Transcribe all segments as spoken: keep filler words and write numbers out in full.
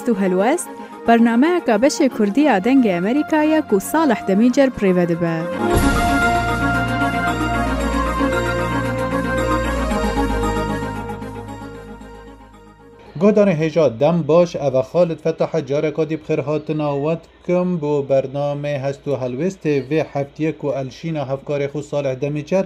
Tu helwest, bernameyeka beşê Kurdî ya Dengê Amerîka ye ku Salih Demîcer bi rê ve dibe. Guhdarên hêja dem baş, ev e Xalid Fetah e, careka dî bi xêrhatina we dikim bo bernameyê Hest û Helwêstê vê heftiyê ku Elşîna hevkarê xwe Salih Demîcer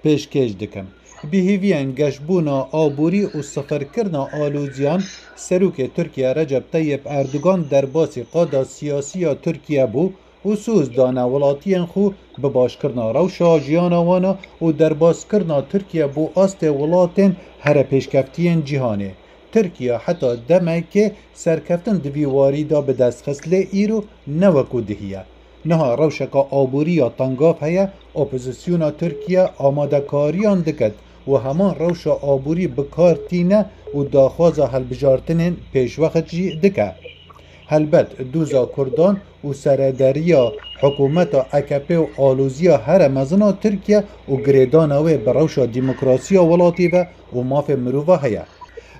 pêşkêş dikim. Bi hêviyên geşbûna aborî û sifirkirina aloziyan, Serokê Tirkiye Recep Tayyip Erdogan derbasî qada siyasî ya Tirkiye bû û soz dane welatiyên xwe bi başkirina rewşa jiyana wan a û derbaskirina Tirkiye bo astê welatên here pêşkeftiyên cîhanê. Tirkiye heta demekê serkeftin di vî warî de bi dest xist, lê îro ne wekû dihî ye. Niha rewşeka aborî ya tengav heye, opozisyona Tirkiye amadekariyan diket û heman rewşa aborî bi kar tîne û daxwaza hilbijartinên pêşwext jî dike. Helbet, doza Kurdan û serederiya hikûmeta A K P û aloziya here mezin a Tirkiye û girêdana wê bi rewşa demokrasiya welatî ve û mafê mirova heye.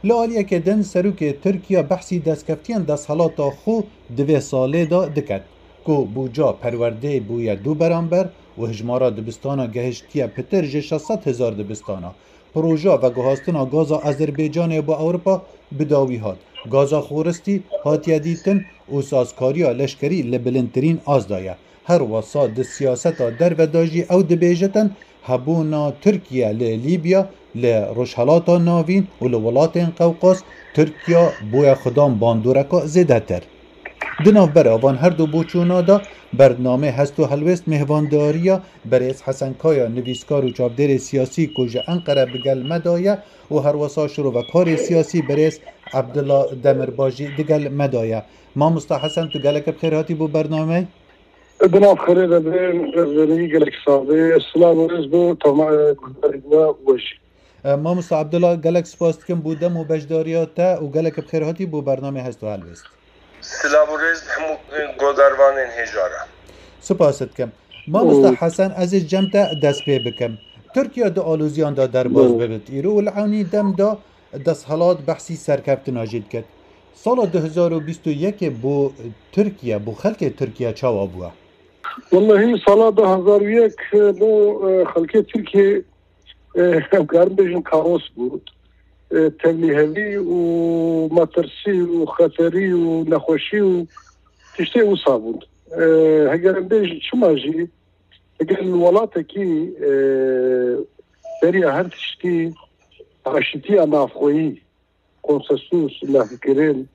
Li aliyekê din, serokê Tirkiye behsî destkeftiyên desthilata xwe di vê salê de diket, ku bûca perwerdeyê bûye du beramber û hijmara dibistana gehiştiye pitir ji şeş sed hezar dibistana. Proja veguhastina gaza Azerbaycanê bo Ewropa bi dawî hat. Gaza xoristî hatiye dîtin û sazkariya leşkerî li bilindtirîn asta ye. Her wesa di siyaseta derve de jî ew dibêjitin, hebûna Tirkiye li Lîbya, li Rojhelata Navîn û li welatên Qewqas, Tirkiye bûye xudan bandoreka zêdetir. Di navbera van her du boçûna de bernameyê Hest û Helwêst mêhvandariya berêz Hesen Kaya, nivîskar û çavdêrê siyasî ku ji Enqere bi gel me de ye û herwesa şirovekarê siyasî berêz Abdullah Demirbaş jî di gel me de ye. Mamosta Hesen, tu gelek bi xêr hatî bo bernameyê. Di nav xêrê de be, rêzgirî gelek sax be. Silav û rêz bo temaşevanê we jî. E, Mamosta Abdullah, gelek spas dikim bo dem û beşdariya te û gelek bi xêr hatî bo bernameyê Hest û Helwêst. Silav û rêz hemû, e, godarvanên hêja re. Spas dikim. Mamosta Hesen, ez ê ji cem te dest pê bikim. Tirkiye di aloziyan de derbas bibit îro û li ewnî dem de desthilat behsî serkeftina jî dikit. Sala du hezar û bîst û yekê bo Tirkiye, bo xelkê Tirkiye çawa bûye? Wellahî sala du hezar û yek bo, e, xelkê Tirkiye, e, em karin bêjin kaos bû. E, tevlîhevî û metirsî û xeterî û nexweşî û tiştê wisa bûn. E, heger em bêjin çima jî, heger li welatekî, e, beriya her tiştî aşitiya navxweyî, konsensus, lehvkirin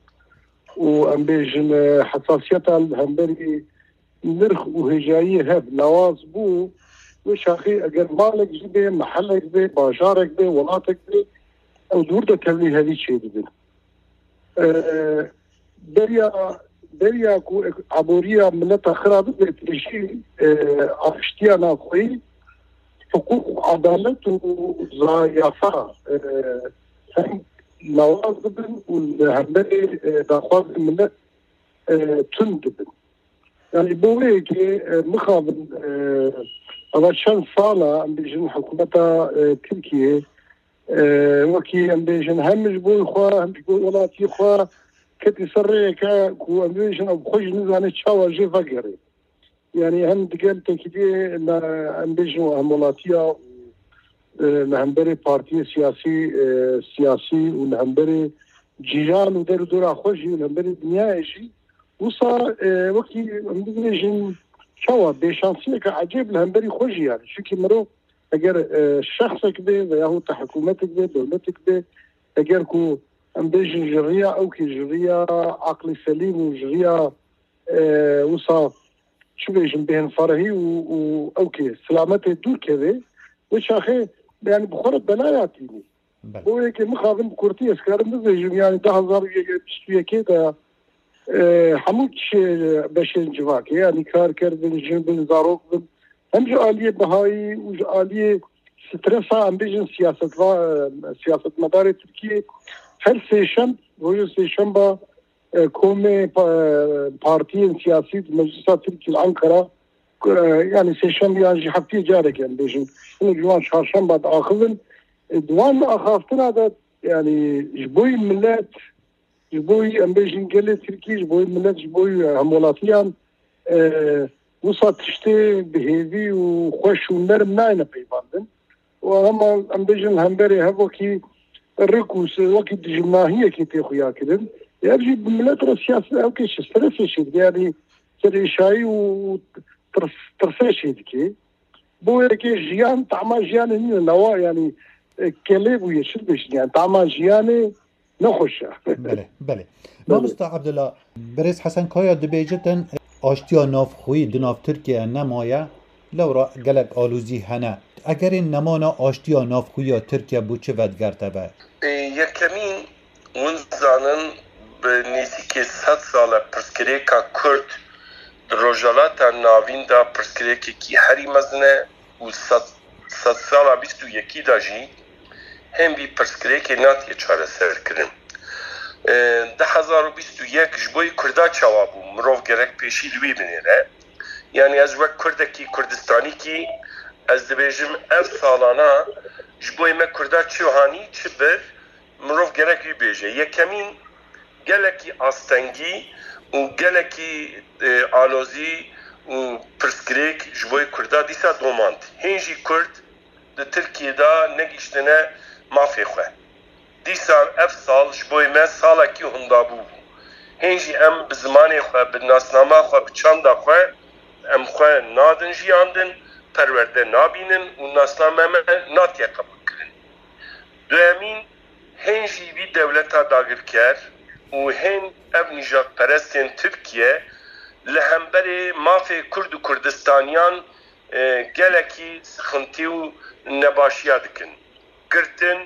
û em bêjin, e, hesasiyeta li hemberî nirx û hêjayiyê hev lawaz bû, wê çaxê eger malek jî bê, mehelek bê, bajarek bê, welatek bê, ew dûr de tevlî hevî çêdibin. E, beriya, beriya ku ek-, aboriya mileta xira bibe pêşî, e, aştiya navxweyî, hiqûq û edalet û za-, yasa, e, hem lawaz bibin û li hemberê, e, daxwazên milet, e, tund dibin. Yani bo wê yekê, e, mixabin, e, ava çend sala, em bêjin hikûmeta, e, Tirkiyê, e, wekî em bêjin hem ji bo xwe, hem ji bo welatî xwe ketî ser rêyeke ku em bêjin ew xwe jî nizane çawa jê vegerê. Yani hem digel tekîdê me, em bêjin hemwelatiya û, e, li hemberê partiyê siyasî, e, siyasî û li hemberê cîran û der û dora xwe jî û li hemberê dinyayê jî wisa, e, wekî em bibêjin çawa bêşansiyeke ecêb li hemberî xwe jî yani. Çunkî mirov eger, e, şexsek be veya hûta hikûmetek be, dewletek be, eger ku em bêjin ji riya ewkê, ji riya aqlî selîm û ji riya, e, wisa çi bêjin, bêhnfarehî û, û ewkê silametê dûr keve, wê çaxê yani bi xwe re belaya tînî. Belê. Bo yekê mixabin bi kurtî ez karim bibêjim, yani du hezar û bîst û yekê de, e, hemû çi beşên civakê, yani kar kerdin, jin bin, zarok bin, hem ji aliyê bihayî û ji aliyê stresa, em bêjin siyasetva-, e, siyasetmedarê Tirkiyê her sêşem, rojê sêşemba, e, komê pa-, partiyên siyasî di Meclisa Tirkî li Ankara, e, yani sêşembiyan jî heftiyê carek em bêjin. Hinek ji wan çarşemba diaxivin. E, di wan axaftina de yani ji bo yî milet Ji bo wî em bêjin gelê Tirkî, ji bo wî milet, ji bo wî hemwelatiyan, e, wisa tiştê bi hêvî û xweş û nerm nayêne peyvandin. Û hema em bêjin hemberê hev wekî rik û se-, wekî dijminahiyekê tê xuya kirin. Ev jî bi milet re siyaset ew kê ji stresê çêdike, yanî serêşayî û, û tirs-, tirsê çêdike. Bo yekê jiyan, tama jiyanê nîne, newa, yanî, e, kelê bûye, çi dibêjin, yanî tama jiyanê nexweş e. Belê, belê. Belê. Mamosta Abdullah, birêz Hesen Kaya dibêjitin, aştiya navxweyî di nav Tirkiye nemaye, lewra gelek alozî hene. Egerên nemana aştiya navxweyiya Tirkiye bo çi vedigerte ve? Ê, yekemîn, hûn zanin, bi nêzîkê sed sal e pirsgirêka Kurd di Rojhilata Navîn de pirsgirêkekî herî mezin e û sed, sedsala bîst û yekî de jî hên vî pirsgirêkê natiye çareserkirin. E, du hezar û bîst û yek ji bo yê Kurda çawa bû? Mirov gerek pêşî li wê binêre. Yanî ez wek Kurdekî Kurdistanîkî ez dibêjim ev salana ji bo yê me Kurda çi hanî, çi bir, mirov gerek wî bêje. Yekemîn, gelekî astengî û gelekî, e, alozî û pirsgirêk ji bo yê Kurda dîsa domand. Hên jî Kurd di Tirkiyê de negihiştine mafê xwe. Dîsa ev sal ji bo yê me salekî hundabû bû. Hên jî em bi zimanê xwe, bi nasnama xwe, bi çanda xwe, em xwe nadin jiyandin, perwerde nabînin û nasname me natiye qebûlkirin. Duyemîn, hên jî vî dewleta dagirker û hên ev nîjadperestên Tirkiye li hemberê mafê Kurd û Kurdistaniyan, e, gelekî sixintî û nebaşiya dikin. Girtin,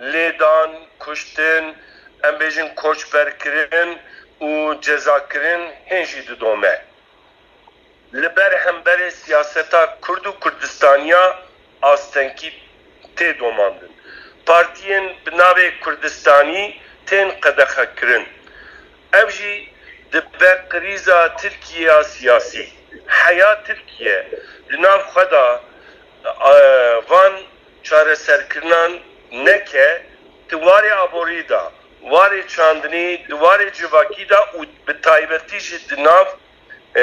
lêdan, kuştin, em bêjin koçberkirin û cezakirin hên jî didome. Li ber hemberê siyaseta Kurd û Kurdistaniya astengî tê domandin. Partiyên bi navê Kurdistanî tên qedexekirin. Ev jî dibe krîza Tirkiye ya siyasî. Heya Tirkiye di nav xwe de, e, van çareserkirinan neke, di warê aborî de, warê çandinî, di warê civakî de û bi taybetî jî di nav, e,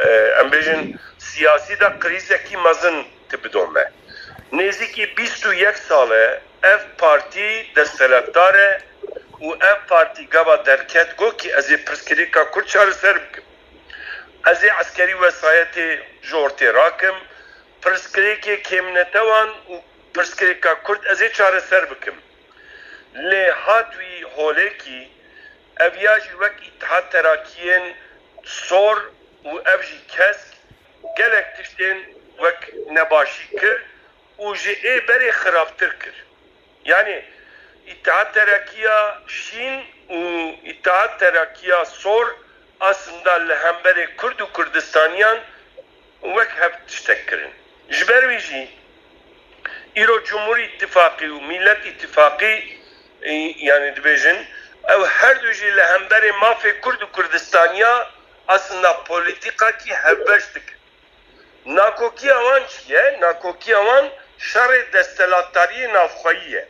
e, em bêjin, siyasî de krîzekî mezin tê bidome. Nêzîkî bîst û yek sal e ev partî desthilatdar e û ev partî gava derket got kî ez ê pirsgirêka Kurd çareser bikim. Ez ê eskerî wesayetê ji ortê rakim, pirsgirêkê kêmnetewan û pirsgirêka Kurd ez ê çareser bikim. Lê hat wî holekî, ev ya jî wek Îtihad Terakiyên sor û ev jî kesk gelek tiştên wek nebaşî kir û ji ê berê xirabtir kir. Yanî Îtihad Terakî ya şîn û Îtihad Terakî ya sor aslında li hemberê Kurd û Kurdistaniyan wek hev tiştek kirin. Ji ber wî jî îro Cumhur Îttifaqî û Millet Îttifaqî, e, yanî dibêjin, ew her du jî li hemberê mafê Kurd û Kurdistaniya aslında polîtîkakî hevbeş dikin. Nakokiya wan çi ye? Nakokiya wan şerê desthilatdariyê navxweyî ye.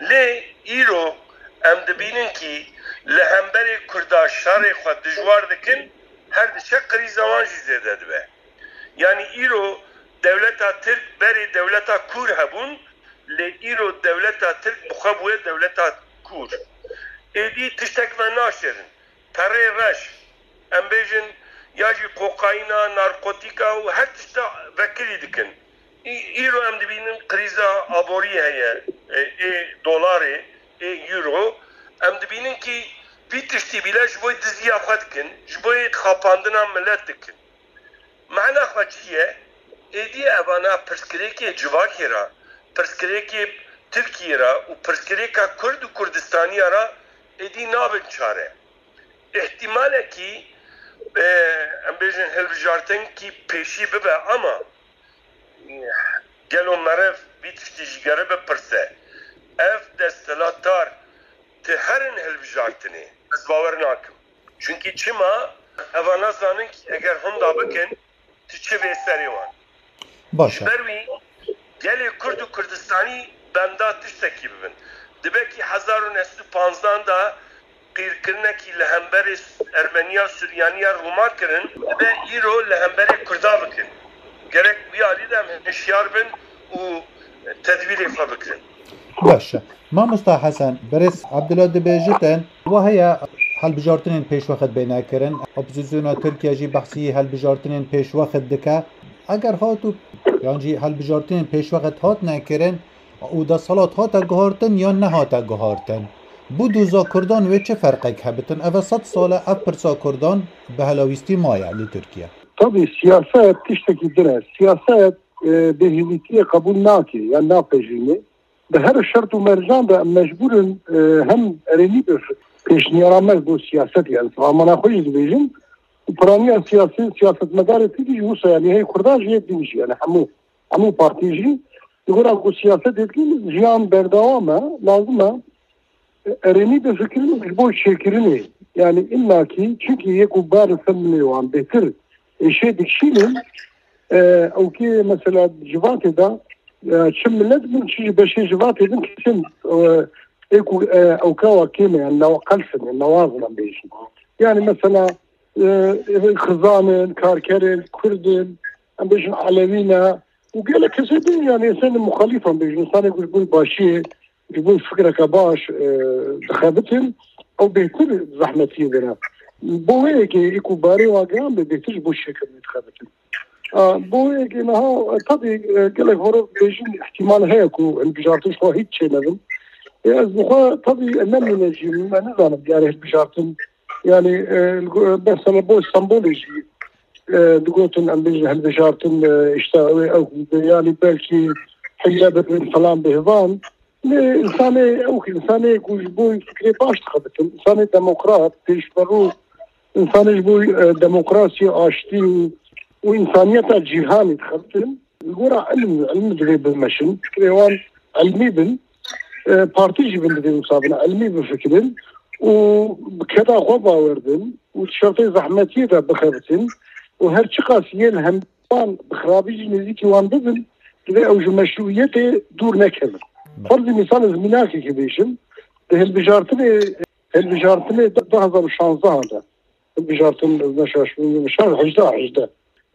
Lê îro em dibînin kî li hemberê Kurda şerê xwe dijwar dikin, her diçe krîza wan jî zêde dibe. Yanî îro dewleta Tirk berê dewleta kûr hebûn, lê îro dewleta Tirk bi xwe bûye dewleta kûr. Êdî tiştek venaşêrin. Perê reş, em bêjin, ya jî kokaîna, narkotîka û her tişta vekirî dikin. Î-, îro em dibînin krîza aborî heye, e, ê dolarê, ê euro. Em dibînin kî vî tiştî bîle ji bo diziya xwe dikin, ji bo xapandina milet dikin. Mana xwe çi ye? Êdî evana pirsgirêkê civakê re, pirsgirêkê Tirkiyê re û pirsgirêka Kurd û Kurdistaniya re êdî nabin çare. Îhtîmalekî, e, em bêjin hilbijartinkî pêşî bibe, ama, e, gelo meriv vî tiştî ji gere bipirse, ev desthilatdar ti herin hilbijartinê? Ez bawer nakim. Çunkî çima? Eva nazanin kî eger hunda bikin, tu çi vê serê wan. Baş e. Ji ber wî gelê Kurd û Kurdistanî benda tiştekî bibin. Dibe kî hezar û neh sed û panzdan de Têrkirinekî li hemberê Ermeniya Suryaniya Rûma kirin, dibe îro li hemberê Kurda bikin. Gerek wî alî de em hişyar bin û tedbîrê xwe bikirin. Baş e. Mamosta Hesen, berêz Abdullah dibêjitin, wa heye hilbijartinên pêşwext bêne kirin. Opozisyona Tirkiye jî behsî hilbijartinên pêşwext dike. Eger hatû, yan jî hilbijartinên pêşwext hatine kirin û desthilat hate guhartin yan nehate guhartin, bo doza Kurdan wê çi ferqek hebitin? Ev e sed sal e ev pirsa Kurdan bi helawîstî maye li Tirkiye. Tabî siyaset tiştekî din e. Siyaset, e, bêhêvîtiyê qebûl nake, yan napejîne. Bi her şert û mercan de em mecbûr in, e, hem erênî bi pêşniyara me bo siyaset, yani, amana xwe jî dibêjin. Û piraniya siyasî, siyasetmedarê Tirkî jî wisa, yani, hey Kurdan jî, yê din jî, yani, hemû, hemû partî jî. Li gora ku siyasetê dikî jiyan berdewam e, lazim e, e, erênî bifikirin ji bo çêkirinê. Yani, illakî, çunkî yê ku bar li ser milê wan bêtir êşê dikişînin, e, ew kê mesela civatê de, e, çi milet bin, çi ji beşê civatê bin kesin, e, ê ku, e, ew kewa kêm e, yani, newa qels in, newaz in, em bêjin. Yani, mesela, e, e, xizan in, karker in, kurd in, em bêjin elewî ne, û gelek kesê din, yani, însanê muxalîf, em bêjin, însanê ku ji bo başiyê, ji bo fikreke baş, e, dixebitin, ew bêhtir zehmetiyê dene. Bo wê yekê, ê ku barê wan giran be, bêhtir ji bo çêkirinê dixebitin. A, bo wê yekê niha, e, tabî, e, gelek horo bêjin, ihtimal heye ku hilbijartin ji xwe hîç çênebin. E, ez bi xwe, tabî, e, ne mînecî, me nizanim, yani, hilbijartin, yani, e, mesela bo Stenbolê jî, e, digotin, em bêjin hilbijartin, e, işte, ew, ew, yani, belkî hile bibin, falan bihvan. Lê insanê, ew ki insanê ku ji bo fikrê baş dixebitin, insanê demokrat, pêşberû, insanê ji bo, e, demokrasiyê, aştî û, û insaniyeta cîhanê dixebitin, li gora ilm, ilm divê bimeşin. Fikrê wan ilmî bin, e, partî jî bin divê wisa bin, ilmî bifikirin û bi keda xwe bawer bin û di şertê zehmetiyê de bixebitin û her çiqas yên hem wan bi xirabî jî nêzîkî wan bibin, divê ew ji meşrûiyetê dûr nekevin. Ferzî mîsal ez mînakekê bêjim, di hilbijartinê, hilbijartinê du hezar û şanzdehan de, hilbijartin, ez neşaş bûm, şan hejdeh, hejdeh.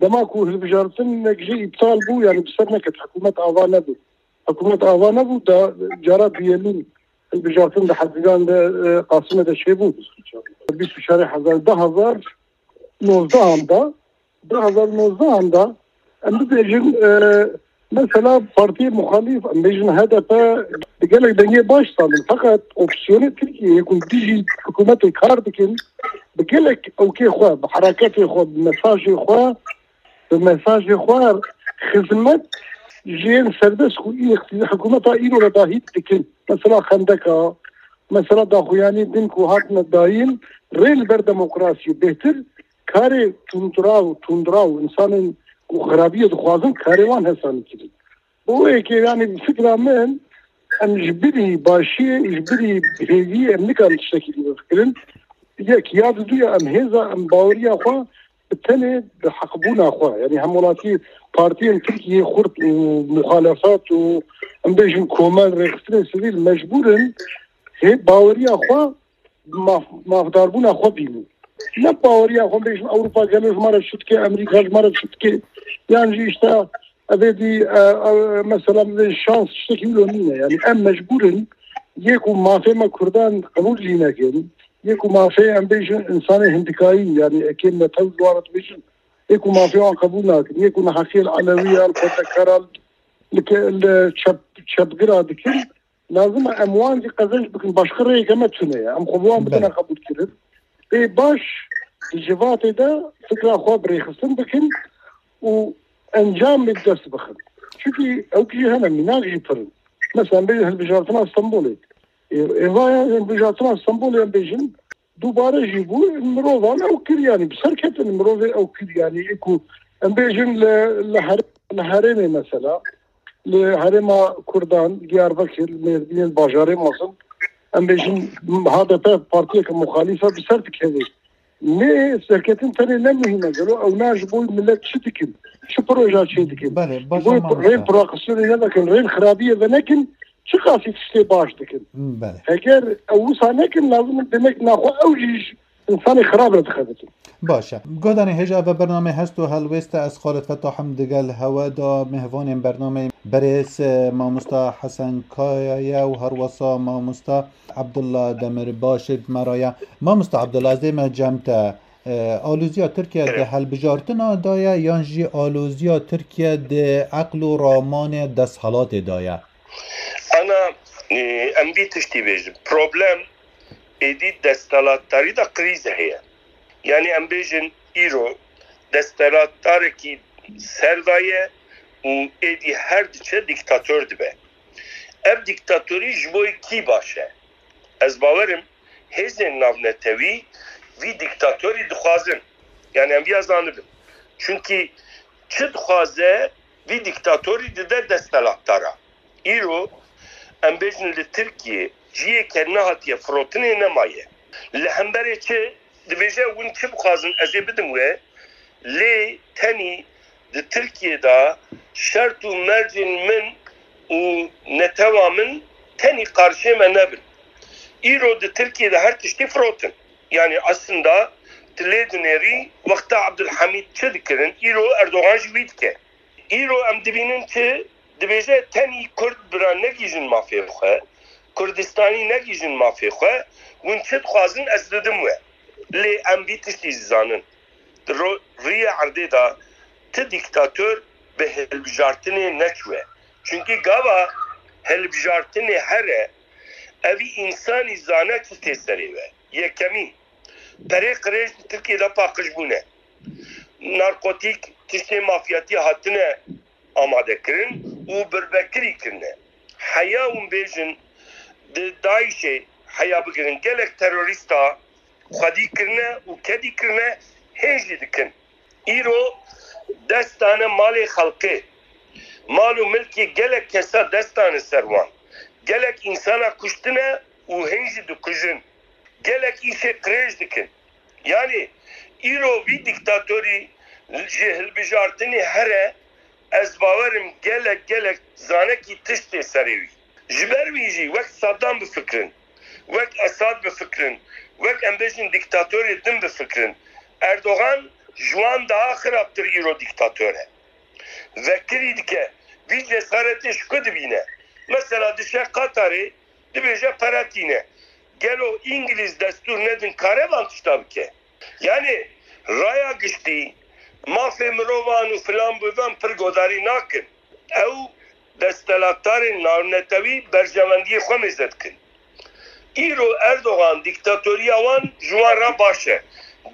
Dema ku hilbijartinek jî îptal bû, yani bi ser neket, hikûmet ava nebû. Hikûmet ava nebû, da cara duyemîn hilbijartin di Hezîran de, e, Qasimê de çêbû. Bîst û çar hezar, du hezar nozdehan de, du hezar nozdehan de, em bibêjin, e, mesela partiyê muxalîf, em bêjin H D P, bi gelek dengê baş standin. Feqet opsiyonê Tirkiyeyê ku dijî hikûmetê kar dikin, bi gelek ewkê xwe, bi hereketê xwe, bi mesajê xwe, bi mesajê xwe xizmet ji yên serbest ku î îqtî-, hikûmeta îro re dahî dikin. Mesela xendeka, mesela daxuyanî din ku hatine dayîn, rê li ber demokrasiyê bêhtir karê tundra û tundra û insanên ku xirabiyê dixwazin karê wan hesanî kirin. Bo wê yekê, yani, bi fikra min, em ji birî başiyê, ji birî hêviyê em nikarin tiştekî dî bifikirin. Yek, ya diduya em hêza, em baweriya xwe bi tenê bi heqbûna xwe, yani hemwelatî partiyên Tirkiyeyê xurt û muxalefet û em bêjin komel rêxistinên sivîl mecbûr in hê baweriya xwe maf-, mafdarbûna xwe bînin. Ne baweriya xwe bêjin Ewropa gelo ji me re çi dike, Amerîka ji me re çi dike, yan jî işte evê dî, e, e, mesela bibê şans tiştekî wilo nîne. Yani em mecbûr in yê ku mafê me Kurdan qebûl jî nekin, yê ku mafê em bêjin insanê hindikayî, yani ekê me tew ji wan re dibêjin, yê ku mafê wan qebûl nakin, yê ku neheqiyê li Elewiyan, xwendekaran, li ke-, li çep-, çepgira dikin, lazim e em wan jî qezenc bikin, başqa rêyeke me tune ye. Em xwe bi wan bidine qebûlkirin. Ê baş di civatê de fikra xwe bi rêxistin bikin û encamê bi dest bixin. Çunkî ew jî hene mînak jî pir in. Mesela bêjin hilbijartina Stenbolê. Ê, êvaya hilbijartina Stenbolê em bêjin dubare jî bû, mirovan ew kir, yani bi ser ketin mirovê ew kir, yani ê ku em bêjin li, li her-, li herêmê mesela, li herêma Kurdan, Diyarbekir, Mêrdîn, bajarê mezin, em bêjin H D P partiyeke muxalîf e, bi ser dikeve. Lê serketin tenê ne muhîm e, gelo ewna ji bo milet çi dikin? Çi proja çê dikin? Belê, ji bo rê proaksiyonê nevekin, rê xirabiyê venekin, çiqasî tiştê baş dikin. Belê. Eger ew wisa nekin, lazim in demek naxwe ew jî ji insanê xirab re dixebitin. Baş e. Guhdarên hêja ve bernamê hest û helwêste ez Xalid Fetah im digel hewe da mêhvanên bernameyê berêz, e, mamosta Hesen Kaya ye û herwesa mamosta Abdullah Demirbaş ê bi me re ye. Mamosta Abdullah, ez dê me cem te. E, aloziya Tirkiye di Evet. helbijartina de ye yan jî aloziya Tirkiye di eql û ramanê desthilatê de ye? Ana, e, em vî tiştî bêjin. Problem êdî desthilatdarî de krîz heye. Yani em bêjin îro desthilatdarekî ser de ye û êdî her diçe dîktator dibe. Ev dîktatorî ji bo kî baş e? Ez bawerim hêzên navnetewî vî dîktatorî dixwazin. Yani em viya zanibin. Çunkî çi dixwaze vî dîktatorî dide desthilatdara. Îro em bêjin li Tirkiyê ciyê ke nehatiye firotinê nemaye. Li hemberê çi dibêje, hûn çi bixwazin ez ê bidim we, lê tenî di Tirkiyê de şert û mercên min û netewa min tenî qarşê me nebin. Îro di Tirkiyê de her tiştî firotin. Yani aslında tu lê dinêrî wexta Abdulhamîd çi dikirin, îro Erdogan jî wî dike. Îro em dibînin çi dibêje, tenî Kurd bira negihîjin mafê xwe, Kurdistanî negihîjin mafê xwe, hûn çi dixwazin ez didim we. Lê em vî tiştî jî zanin. Di ro-, riyê erdê de ti dîktator bi hilbijartinê neçûye. Çunkî gava hilbijartinê here, evî însanî zane çi tê serê we. Yekemîn, perê qirêj di Tirkiyê de paqij bûne. Narkotîk, tiştê mafyatî hatine amadekirin û birbekirî kirine. Heya hûn bêjin di DAIŞê heya bigirin, gelek terorîsta xwedî kirine û kedî kirine, hên jî dikin. Îro dest dane malê xelkê. Mal û milkê gelek kesa dest dane ser wan. Gelek însana kuştine û hên jî dikujin. Gelek îşê qirêj dikin. Yani îro vî dîktatorî ji hilbijartinê here, ez bawerim gelek gelek zanekî tişt tê serê wî. Ji ber wî jî wek Saddam bifikirin, wek Esad bifikirin, wek em bêjin dîktatorê din bifikirin, Erdogan ji wan daha xirabtir îro dîktator e. Vekirî dike, vî cesaretê ji ku dibîne? Mesela dişe Qatarê, dibêje pere tîne. Gelo Îngilîz destûr nedin kare van tişta bike? Yani raya giştî, mafê mirovan û filan bivan pir godarî nakin. Ew desthilatdarên navnetewî berjewendiyê xwe mêze dikin. Îro Erdogan dîktatoriya wan ji wan re baş e.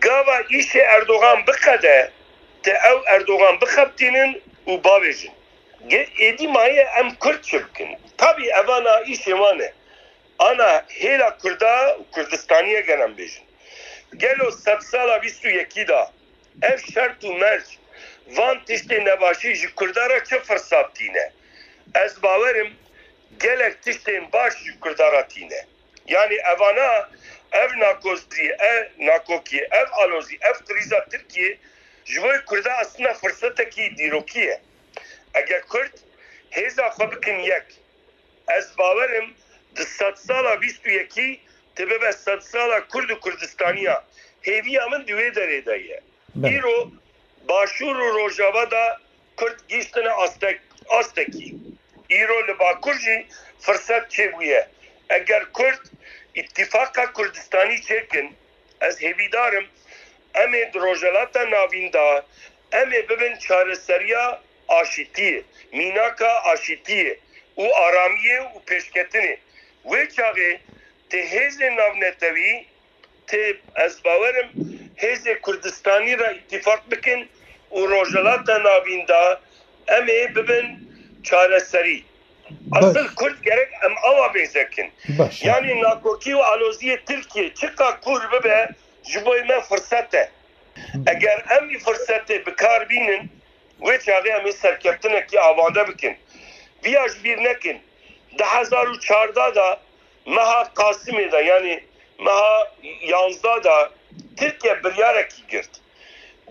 Gava îşê Erdogan biqede, te ew Erdogan bixebitînin û bavêjin. Ge-, êdî maye em Kurd çi bikin? Tabî evana îşê wan e. Ana hêla Kurda û Kurdistaniye gel em bêjin. Gelo sedsala bîst û yekî de ev şert û merc van tiştê nebaşî ji Kurda re çi firsat tîne? Ez bawerim gelek tiştên baş ji Kurda re tîne. Yani evana, ev nakozî, ev nakokî, ev alozî, ev krîza Tirkiyê ji bo Kurda aslında firsetekî dîrokî ye. Eger Kurd hêza xwe bikin yek, ez bawerim di sedsala bîst û yekî tu bibe sedsala Kurd û Kurdistaniya. Hêviya min di wê derê de ye. Belê. Îro Başûr û Rojava de Kurd gihîştine astek-, astekî. Îro li Bakur jî firset çêbûye. Eger Kurd îtîfaqa Kurdistanî çêkin, ez hêvîdar im, em ê di Rojhilata Navîn de em ê bibin çareseriya aşîtiyê, mînaka aşîtiyê û aramiyê û pêşketinê. Wê çaxê tê hêzên navnetewî, tê, ez bawerim, hêzê Kurdistanî re îtîfaq bikin û Rojhilata Navîn de em ê bibin çareserî. Baş. Asil Kurd gerek em awa mêze kin. Baş. Yani nakokî û aloziyê Tirkiye çiqa kûr bibe, ji bo me firset e. Eger em vî firsetê bi kar bînin, wê çaxê em ê serkeftinekî avande bikin. Viya ji bîr nekin. Du hezar û çardeh de meha Qasimê de, yani meha yanzdeh de Tirkiye biryarekî girt.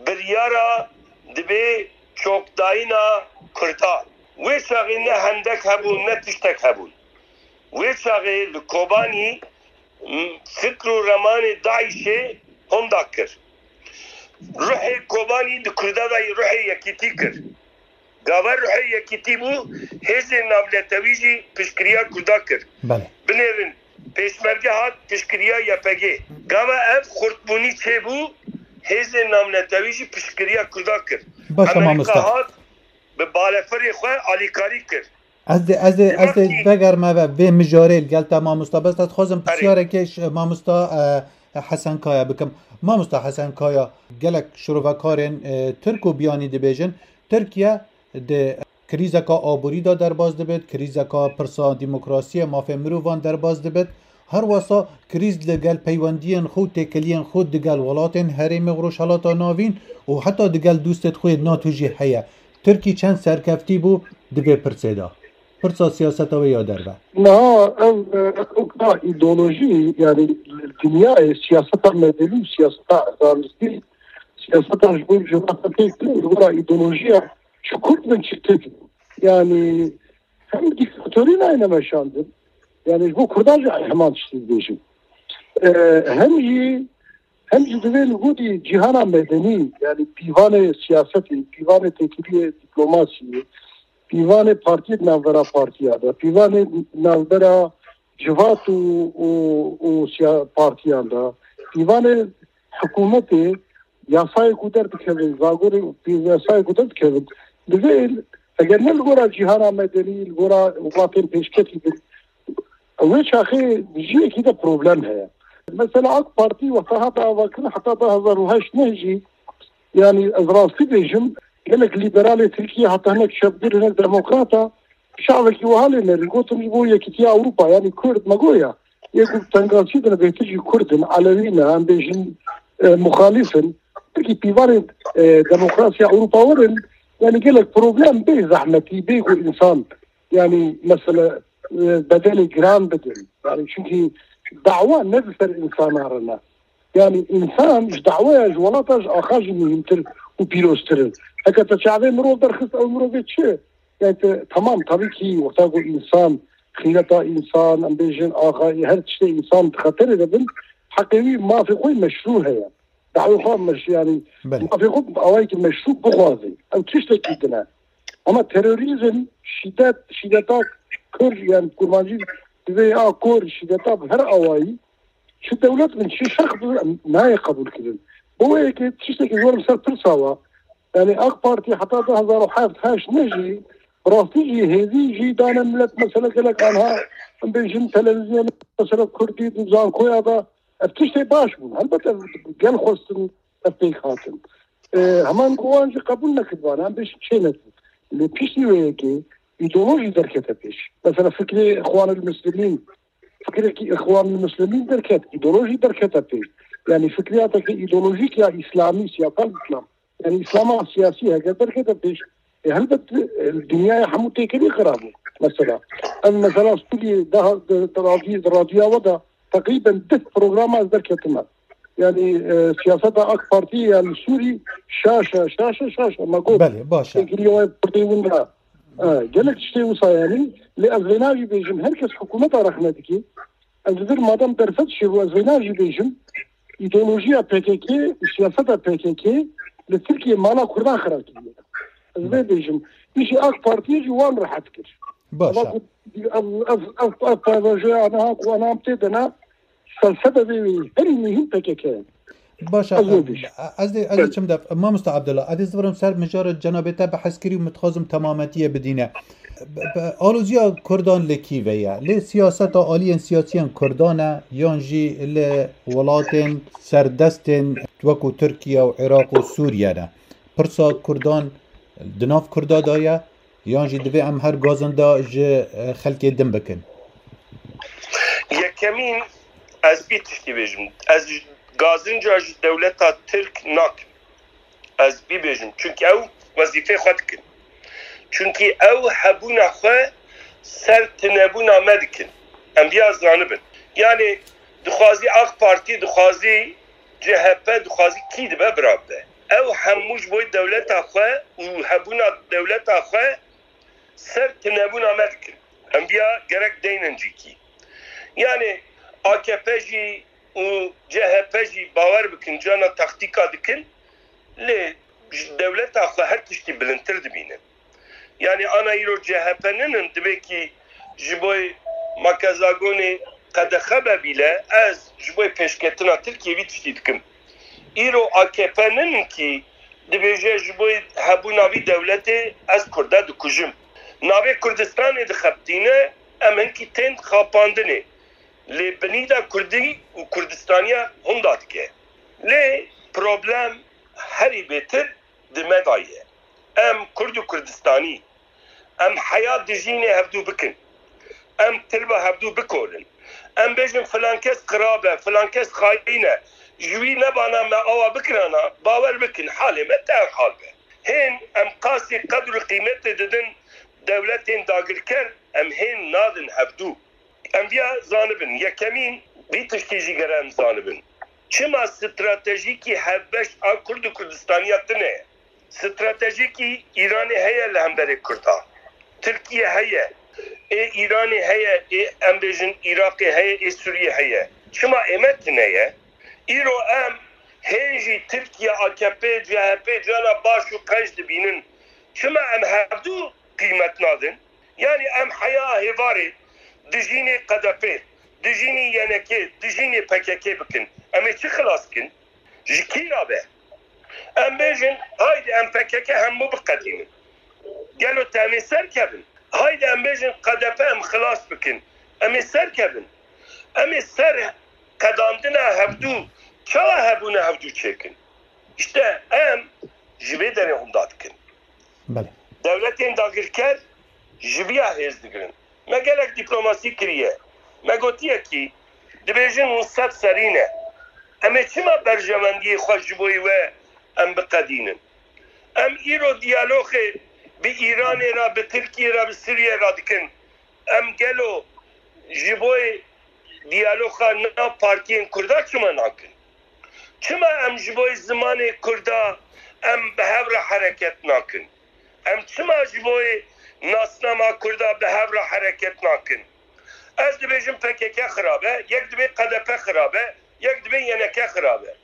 Biryara dibê çokdayîna Kurda. Wê çaxê ne hendek hebûn, ne tiştek hebûn. Wê çaxê li Kobanî, m, fikr û remanê DAIŞê honda kir. Ruhê Kobanî di Kurda de ruhê yekîtî kir. Gava ruhê yekîtî bû, hêzên navnetewî jî piştgiriya Kurda kir. Belê. Binêrin, Pêşmerge hat piştgiriya Y P G. Gava ev xurtbûnî çêbû, hêzên navnetewî jî piştgiriya Kurda kir. Baş e, Amerîka mamosta. Hat bi balefirê xwe alîkarî kir. Ez dê, ez dê, ez dê Demek ki vegerme ve vê mijarê li gel te mamosta. Bes ez dixwazim Erê. Pirsyareke ş-, mamosta, e, Hesen Kaya bikim. Mamosta Hesen Kaya, gelek şirovekarên, e, Tirk û biyanî dibêjin, Tirkiye di krîzeka aborî de derbas dibit, krîzeka pirsa demokrasiyê, mafê mirovan derbas dibit. Her wesa krîz li gel peywendiyên xwe û têkiliyên xwe digel welatên herêmê Rojhelata Navîn û heta digel dostêt xwe yê NATO jî heye. Tirkî çend serkeftî bû di vê pirsê de? Pirsa siyaseta wê ya derve. Niha ev, e, ew ka îdeolojî, yani dinyayê siyaseta medenî û siyaseta zanistî, siyaseta ji bo civata têk li gora îdeolojiya çi Kurd bin çi Tirk bin. Yani hem dîktatorî nayne meşandin, yani ji bo Kurdan jî heman tiştî dibêjin. E, hem jî Hem jî divê li gorî cîhana medenî, yani pîvanê siyasetê, pîvanê têkiliyê dîplomasiyê, pîvanê partiyê di navbera partiya de, pîvanê navbera civat û, û, û siya-, partiyan de, pîvanê hikûmetê, yasayê ku derdikevin, zagorê pî-, yasayê ku derdikevin, divê eger ne li gora cîhana medenî, li gora welatên pêşketî bin, Wê çaxê jiyekî de problem heye. Mesela AK Partî wexta hat avakirin heta du hezar û heşt neh jî, yani ez rastî bêjim, gelek lîberalê Tirkiye heta hinek çepgir, hinek demokrata, şavekî wiha lê nerin. Gotin ji bo yekîtiya Ewropa, yani Kurd me goya. Yê ku tengasî dine bêtir jî Kurd in, Elewî ne, em bêjin, e, muxalîf in. Belkî pîvanên, e, demokrasiya Ewropa werin, yani gelek problem bê zehmetî, bê ku însan, yani mesela, e, bedelê giran bidin. Yani çünkü dawa ne bi ser insana re ne. Yani insan ji dawaya ji welata ji axa jî muhîmtir û pîroztir in. Heke te çavê mirov derxist, ew mirovê çi? Yani te, tamam, tabii ki wexta ku insan, xîneta insan, em bêjin axayî, her tiştê insan di xeterê de bin, heqê wî mafê xwe meşrû heye. Dawê xwe meş-, yani Belê. Mafê xwe bi awayekî meşrû bixwaze. Ew tiştekî din e. Ama terorîzm, şîdet, şîdeta kir, yani kurmancî divê ya kor, şîdeta bi her awayî, çi dewlet bin, çi şexs bin, em nayê qebûl kirin. Bo wê yekê tiştekî zor li ser pirsa wa. Yani AK Partî heta du hezar û heft heşt ne jî, bi rastî jî hêzî jî dane milet, mesela gelek anha, em bêjin televîzyon, mesela Kurdî di zankoya de, ev tiştê baş bûn. Helbet ev gel xwestin, ev pêk hatin. E, heman ku wan jî qebûl nekiribane, em bêjin çê nekir. Lê piştî wê yekê, îdeolojî derkete pêş. Mesela fikrê Îxwanul Muslimîn, fikrekî Îxwanul Muslimîn derket, îdeolojî derkete pêş. Yani fikriyateke îdeolojîk ya îslamî, siyasal îslam. Yani îslama siyasî heke derkete pêş, e, helbet, e, dinyaya hemû têkilî xirab bû. Mesela, ev mesela Sûriyê daha di, di radyo-, di radyoya we de teqrîben deh programa ez derketime. Yani, e, siyaseta AK Partî ya li Sûrî şaş e, şaş e, şaş e. Me got, Belê, baş e. Têkiliya we pirtê win de. E, gelek tiştê wisa yani. Lê ez vêna jî bêjim, her kes hikûmeta rexne dike. Ez li vir madem derfet çêbû, ez vêna jî bêjim, îdeolojiya P K K û siyaseta P K K li Tirkiyê mala Kurdan xira kiriye. Ez vê bêjim, îşê AK Partiyê jî wan rehet kir. Baş e. Ama ku ev, ev, ev, ev payvajoya aniha ku anam tê de ne, felsefe vê wê herî muhîm P K K ye. Baş e, Ez wê bêjim. ez dê, ez dê Belê. çim de, Mamosta Abdullah, ez dê zivirim ser mijara cenabê te bi hezkirî û min dixwazim temametiye bidîne. Bi, bi, aloziya Kurdan li kî ve ye? Lê siyaseta aliyên siyasiyên Kurdan e, yan jî li welatên serdestên wekû Tirkiye û Iraq û Sûriye ne? Pirsa Kurdan di nav Kurda de ye, yan jî divê em her gazinda ji, e, xelkê din bikin? Yekemîn, ez bî tiştî bêjim. Ez gazinca ji dewleta Tirk nakim. Ez bî bêjim. Çunkî ew wezîfê xwe dikin. Çunkî ew hebûna xwe ser tinebûna me dikin. Em biya zanibin. Yani dixwazî AK Partî, dixwazî C H P, dixwazî kî dibe bira bibe. Ew hemû ji bo dewleta xwe û hebûna dewleta xwe ser tinebûna me dikin. Em biya gerek deynin cîkî. Yani A K P jî û C H P jî bawer bikin cana taktîka dikin, lê ji dewleta xwe her tiştî bilindtir dibînin. Yani ana îro C H P ninin dibê kî ji bo makezagonê qedexe be bîle, ez ji bo pêşketina Tirkiyê vî tiştî dikim. Îro A K P ninin kî dibêje ji bo hebûna vî dewletê ez Kurda dikujim. Navê Kurdistanê dixebitîne, em hinkî tên xapandinê. Lê binî de Kurdî û Kurdistaniya hunda dike. Lê problem herî bêtir di me de ye. Em Kurd û Kurdistanî, em heya dijînê hevdû bikin. Em tilba hevdû bikorin. Em bêjin filan kes xirab e, filan kes xayîn e. Ji wî nebana me awa bikirana, bawer bikin halê me te ev hal be. Hên em qasî qedr û qîmetê didin dewletên dagirker, em hên nadin hevdû. Em viya zanibin. Yekemîn, vî tiştî jî gere em zanibin. Çima stratejîkî hevbeş a Kurd û Kurdistaniya tune ye? Stratejîkî Îranê heye li hemberê Kurda. Tirkiye heye. Ê Îranê heye, ê em bêjin Iraqê heye, ê Sûriyê heye. Çima ê me tune ye? Îro em hên jî Tirkiye, A K P, C H P cana baş û qenc dibînin. Çima em hevdû qîmet nadin? Yani em heya hêvarê dijînê K D P, dijînê Y N K, dijînê P K K bikin. Em ê çi xilas kin? Ji kî ra be? Em bêjin, haydi em P K K hemû biqedînin. Gelo te em ê serkevin? Haydi em bêjin K D P em xilas bikin. Em ê serkevin. Em ê ser qedandina hevdû, çawa hebûna hevdû çêkin? İşte em ji vê derê hunda dikin. Belê. Dewletên dagirker ji viya hêz digirin. Me gelek dîplomasî kiriye. Me gotiye kî dibêjin hûn sed serî ne. Em ê çima berjewendiyê xwe ji bo we em biqedînin? Em îro diyaloxê bi Îranê re, bi Tirkiyê re, bi Sûriyê re dikin. Em gelo ji bo diyaloxa nav partiyên Kurda çima nakin? Çima em ji bo zimanê Kurda em bi hev re hereket nakin? Em çima ji bo nasnama Kurda bi hev re hereket nakin? Ez dibêjim P K K xirab e, yek dibê K D P xirab e, yek dibê Y N K xirab e.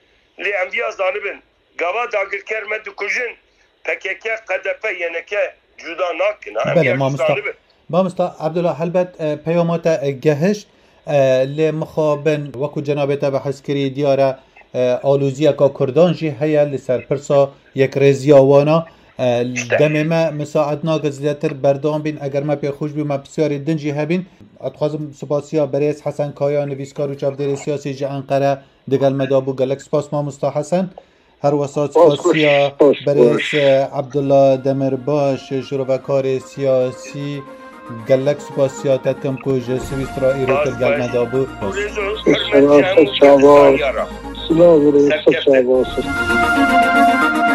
Lê em viya zanibin, gava dagirker me dikujin, P K K, K D P, Y N K cuda nakin. Em Belê, viya mamosta. Zanibin. Mamosta Abdullah, helbet, e, peyama te, e, gehişt, e, lê mixabin, wekû cenabê te behs kirî, diyar e, e, aloziyeka Kurdan jî heye li ser pirsa yekrêziya wana. E, İşte. Demê me misaet nake zêdetir berdewam bîn. Eger me pê xweş bî, me pisyarê din jî hebîn. Ez dixwazim spasiya berêz Hesen Kaya, nivîskar û çavdêrê siyasî ji Enqere digel me de bû. Gelek spas mamosta Hesen. Her wesa spasiya berêz, e, Abdullah Demirbaş, şirovekarê siyasî, gelek spasiya te dikim ku ji Swîstra îro tu gel me de bû. Silav û rêz, çawa bû.